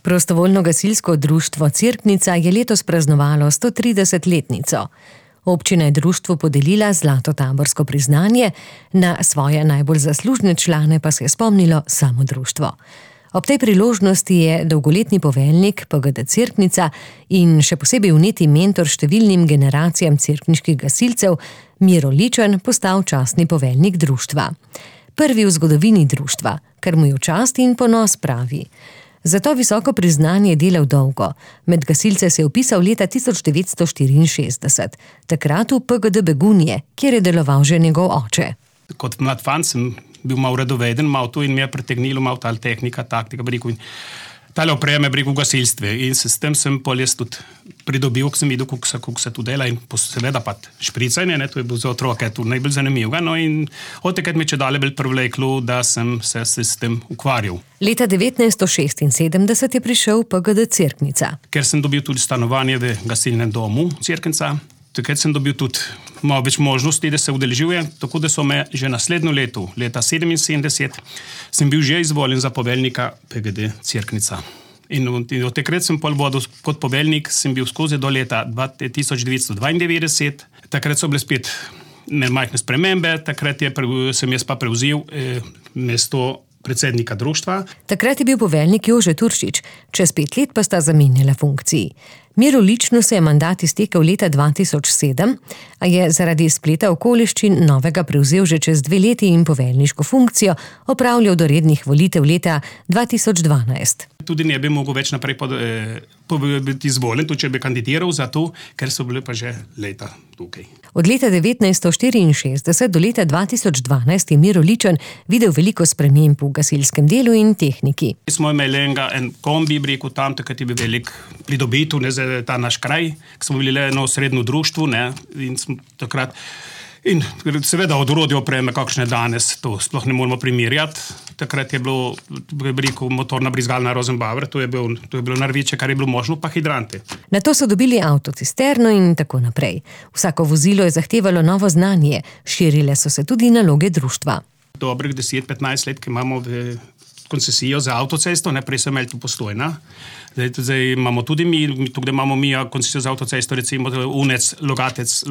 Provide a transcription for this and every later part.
Prostovoljno gasilsko društvo Cerknica je letos praznovalo 130-letnico. Občina je društvu podelila zlato taborsko priznanje, na svoje najbolj zaslužne člane pa se je spomnilo samo društvo. Ob tej priložnosti je dolgoletni poveljnik PGD Cerknica in še posebej vneti mentor številnim generacijam cerkniških gasilcev Miro Ličen postal častni poveljnik društva. Prvi v zgodovini društva, kar mu je v čast in ponos, pravi. Zato visoko priznanje je delal dolgo. Med gasilce se je vpisal leta 1964, takrat v PGD Begunje, kjer je deloval že njegov oče. Kot mlad fan sem bil malo radoveden, malo to in me je pritegnilo malo ta tehnika, taktika, in tale opreme v gasilstve. In s tem sem pol jaz tudi pridobil, ko sem videl, kako se tu dela in seveda pa špricanje, to je bilo za otroke tu najbolj zanimivo. No in od takrat mi je čedalje bolj privleklo, da sem se s tem ukvarjal. Leta 1976 je prišel PGD Cerknica. Ker sem dobil tudi stanovanje v gasilnem domu Cerknica, takrat sem dobil tudi malo več možnosti, da se udeležujem, tako da so me že naslednjo leto, leta 1977, sem bil že izvoljen za poveljnika PGD Cerknica. In od takrat sem pol vodil kot poveljnik, sem bil skozi do leta 1992, takrat so bile spet majhne spremembe, takrat sem jaz pa prevzel mesto predsednika društva. Takrat je bil poveljnik Jože Turšič, čez 5 let pa sta zamenjala funkciji. Miru Ličnu se je mandat iztekel leta 2007, a je zaradi spleta okoliščin novega prevzel že čez 2 leti in poveljniško funkcijo opravljal do rednih volitev leta 2012. Tudi ne bi mogel več naprej biti izvoljen, tudi če bi kandidiral za to, ker so bile pa že leta tukaj. Od leta 1964 do leta 2012 je Miro Ličen videl veliko sprememb v gasilskem delu in tehniki. Smo imeli en kombi, tam, takrat je bil velik pridobitev za ta naš kraj, ki smo bili le eno srednjo društvo, in smo takrat. In seveda od orodja opreme, kakšne danes, to sploh ne moramo primerjati. Takrat je bilo, motorna brizgalna Rosenbauer, to je bilo največje, kar je bilo možno, pa hidrante. Nato so dobili avtocisterno in tako naprej. Vsako vozilo je zahtevalo novo znanje, širile so se tudi naloge društva. Dobrih 10-15 let, ki imamo koncesijo za avtocesto, prej so imeli tu Postojna. Zdaj imamo tudi tukaj imamo mi koncesijo za avtocesto, recimo Unec, Logatec,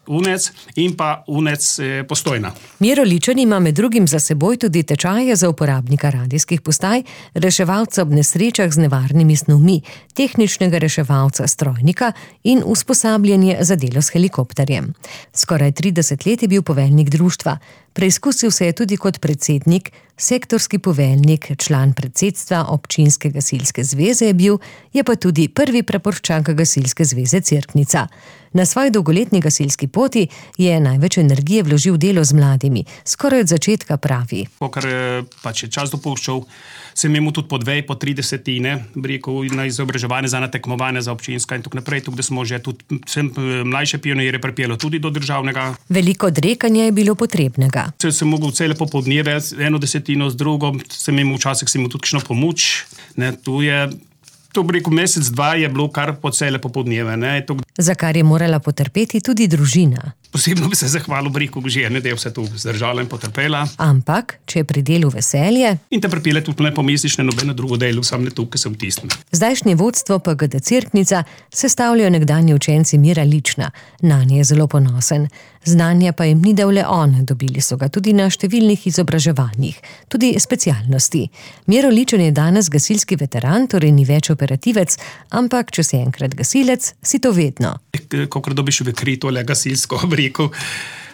Unec in pa Unec Postojna. Miro Ličen ima med drugim za seboj tudi tečaje za uporabnika radijskih postaj, reševalca ob nesrečah z nevarnimi snovmi, tehničnega reševalca strojnika in usposabljanje za delo s helikopterjem. Skoraj 30 let je bil poveljnik društva. Preizkusil se je tudi kot predsednik, sektorski poveljnik, član predsedstva občinske gasilske zveze je pa tudi prvi praporščak gasilske zveze Cerknica. Na svoji dolgoletni gasilski poti je največ energije vložil delo z mladimi, skoraj od začetka, pravi. Ker pač je čas dopuščal, sem imel tudi po 2-3 na izobraževanje za natekmovanje za občinska in tako naprej, tukaj smo že tudi mlajše pionirje pripeljali tudi do državnega. Veliko odrekanja je bilo potrebnega. Sem mogel cele popoldneve, 1/10 z drugom, sem imel včasih tudi kakšno pomoč, To mesec, 2 je bilo kar po cele popoldneve. Za kar je morala potrpeti tudi družina. Posebno bi se zahvalil ženi, da je vse to zdržala in potrpela. Ampak, če je pri delu veselje... In te pripelje tudi ne pomisliš na nobeno drugo delo, sam ne tukaj sem tistim. Zdajšnje vodstvo PGD Cerknica sestavljajo nekdanji učenci Mira Lična. Nanje je zelo ponosen. Znanja pa jim ni dal le on, dobili so ga tudi na številnih izobraževanjih, tudi specialnosti. Miro Ličen je danes gasilski veteran, torej ni več operativec, ampak če si enkrat gasilec, si to vedno. Kakor dobiš v kri tole gasilsko obriko,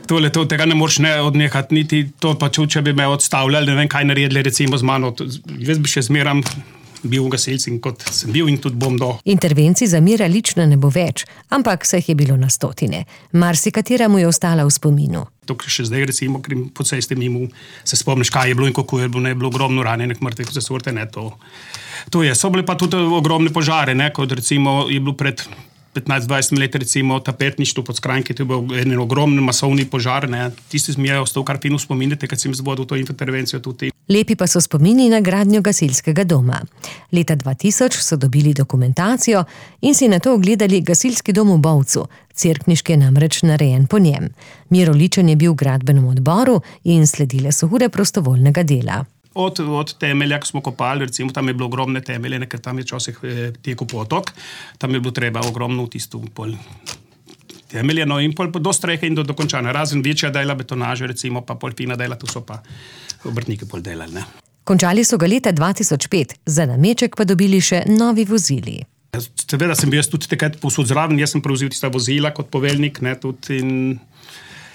tega ne moreš odnehati, niti to pa če bi me odstavljali, ne vem kaj naredili recimo z mano, jaz bi še zmeram bil gasilc in kot sem bil in tudi bom do. Intervencij za Mira Lična ne bo več, ampak se jih je bilo na stotine. Marsikatera mu je ostala v spominu. Tukaj še zdaj recimo, ker po cesti mimo se spomniš, kaj je bilo in kako je bilo, bilo ogromno ranjenih mrtvih za sorte, To je. So bile pa tudi ogromne požare, kot recimo je bilo pred 15-20 let recimo tapetništvo pod Skranjki, to je bil en ogromen masovni požar, Tisti mi je ostal kar fino spominjati, kad sem zvodil to intervencijo tudi. Lepi pa so spomini na gradnjo gasilskega doma. Leta 2000 so dobili dokumentacijo in si nato ogledali gasilski dom v Bovcu. Cerkniški je namreč narejen po njem. Miro Ličen je bil v gradbenem odboru in sledile so ure prostovoljnega dela. od temelja, ko smo kopali, recimo tam je bilo ogromne temelje, ker tam je včasih tekel potok, tam je bilo treba ogromno v tisto pol temelje, no in pol do strehe in do dokončanja. Razen večja dela betonaže, recimo pa pol fina dela, tu so pa obrtniki pol delali, ne. Končali so ga leta 2005, za nameček pa dobili še novi vozili. Seveda sem bil jaz tudi takrat povsod zraven, jaz sem prevzel tista vozila kot poveljnik, ne, tudi in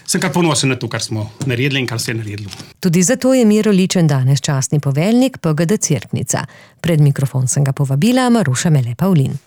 sem kar ponosen na to, kar smo naredili in kar se je naredilo. Tudi zato je Miro Ličen danes častni poveljnik PGD Cerknica. Pred mikrofon sem ga povabila Maruša Mele Pavlin.